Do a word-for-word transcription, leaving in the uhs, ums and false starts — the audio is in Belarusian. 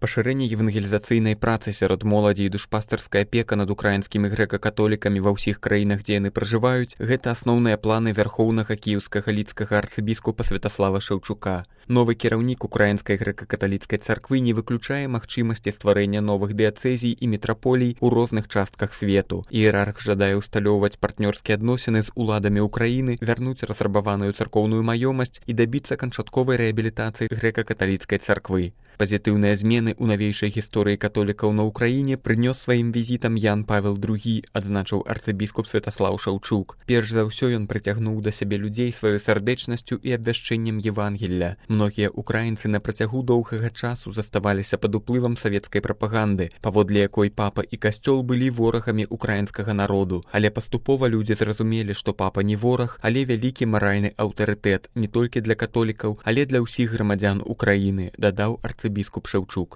Пашырэнне евангелізацыйнай працы сярод моладзі і душпастарская апека над украінскімі грэка-католікамі ва ўсіх краінах, дзе яны пражываюць, гэта асноўныя планы вярхоўнага кіеўскага лідскага арцыбіскупа Святаслава Шаўчука. Новы кіраўнік украінскай грэка-каталіцкай царквы не выключае магчымасці стварэння новых дыяцэзій і метраполій у розных частках свету. Іерарх жадае ўсталёўваць партнёрскія адносіны з уладамі Украіны, вярнуць разрабаваную царкоўную маёмасць і дабіцца канчатковай рэабілітацыі грэка-каталіцкай царквы. Пазітыўныя змены ў навейшай гісторыі католікаў на Ўкраіне прынёс сваім візітам Ян Павел другі, адзначыў арцыбіскуп Святаслаў Шаўчук. Перш за ўсё ён прыцягнуў да сябе людзей сваёй сардэчнасцю і абвяшчэннем Евангелля. Многія украінцы на працягу доўгага часу заставаліся пад уплывам савецкай прапаганды, паводле якой папа і касцёл былі ворагамі украінскага народу. Але паступова людзі зразумелі, што папа не вораг, але вялікі маральны аўтарытэт не толькі для католікаў, але для ўсіх грамадзян Украіны, дадаў арцыбіскуп Шаўчук.